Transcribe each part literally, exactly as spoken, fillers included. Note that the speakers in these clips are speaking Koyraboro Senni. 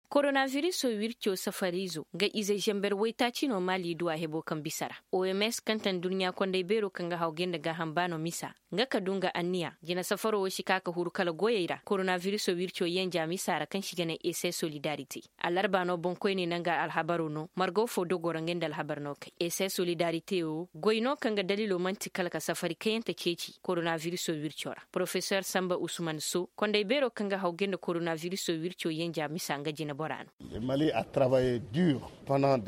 Koronavirisoo wircoo safariizoo nga ize zamber waytaaci no maali duw'a heboo kaŋ bisa ra. Oms kaŋ ta nduɲɲa konday beeroo kaŋ ga hawgay nda gaaham baanoo misa, nga ka du nga anniya jina safaroo woo si kaa ka huru kala goyey ra koronavirisoo wircoo yenja misa ra kaŋ si ga nee ese solidarite. Allarba no boŋkoyney nanga alhabaroo no margo foo dogoo ra ngey nda alhabar no kay ese solidarite woo goy no kaŋ ga daliloo man'ti kala ka safari kayante ceeci koronavirisoo wircoo ra. Porofesor samba usman so konday beeroo kaŋ ga hawgay nda koronavirisoo wircoo yenja misa nga jineboraa no.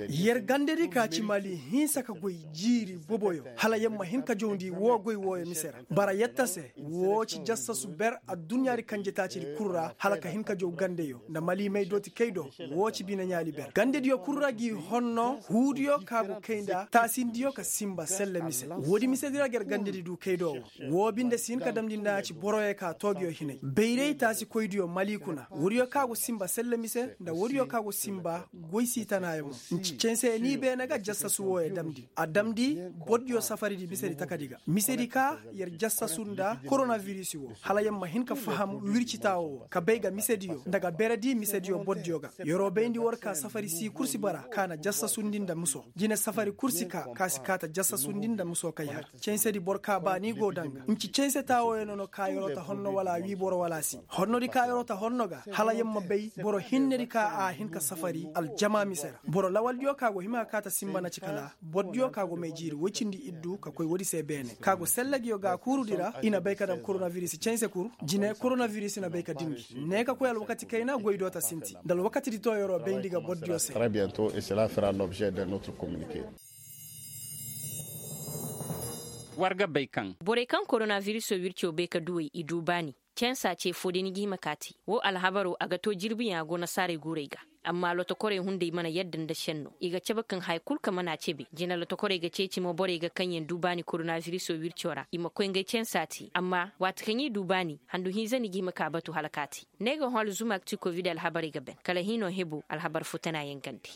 Yer gandadi ka ci mali hinsa ka goy jiiri boboyo hala yer ma hin ka jawndi woo goy wooyo mise ra bara yetta se woo ci jassasu ber adduɲɲaadi kanjetaacidi kul ra hala ka hin ka jaw gandeyo nda mali may dooti kay do. Woo ci bine ɲaali ber gandediyo kul ra g'i honno huudiyo ka go kay nda taasindiyo ka sinba selle mise. Woodi misedi ra ga yer gandedi du kay do woo. Woo binde si hin ka damndi nda a ci boroyo ka toogiyo hinay bayray taasikoydiyo mali kuna woodiyo ka go sinba selle mise nda woodiyo ka go sinba goy siitanaayo mo. Nci cense ni beene ga jassasu wooyo damndi a damndi bordiyo safaridi misedi takadi ga misedi ka yer jassasu nda koronabirisi woo hala yer ma hin ka faham wircitaawoo woo ka bay ga misediyo nda ga beredi misediyo bordiyo ga. Yer'o bayndi war ka safari sii kul si bara ka na jassasundi nda muso jine safari kul si ka ka si kaa ta jassasundi nda muso kay har. Censedi boro ka baani go danga nci cense taawooyo no no ka yer'o ta honno wala wii boro wala si honnodi ka yer'o ta honno ga hala yer ma bay boro hinnedi ka a hin ka safari aljama mise ra boro lawaldiyo ka go hima ka kaa ta sinba na ci kala bordiyo ka go may jiiri woy cindi iddu ka koy woodi se beene ka go selle nguyo gaakuurudi ra i na bay ka daŋ koronabiris cense kul. Jine koronabiris na bay ka dimbi ne ka koy alwakati kayna goy do ta sinti nda alwakatidi to yer'o bayndi ga bordiyo se. War ga bay kaŋ borey kaŋ koronabirisoo wircoo bay ka duwey i du baani. Censaa ce foo day ni ga hima ka a te woo alhabaroo a ga too jirbiyaŋ a go nasaarey guurey ga. Amma lotokorey hunday mana yadda nda šennoo i ga cabe kaŋ haya kul kaŋ mana a cabe jina lotokorey ga ceeci mo borey ga kaŋyaŋ du baani koronabirisoo wircoo ra i ma koy ngey censaa te amma waati kaŋ i du baani handu hinza ni ga hima ka a batu hala ka a te. Ne ga hõ alzumaak ti kovid alhabarey ga ban kala hinoo heboo alhabar foo tanaayaŋ gande.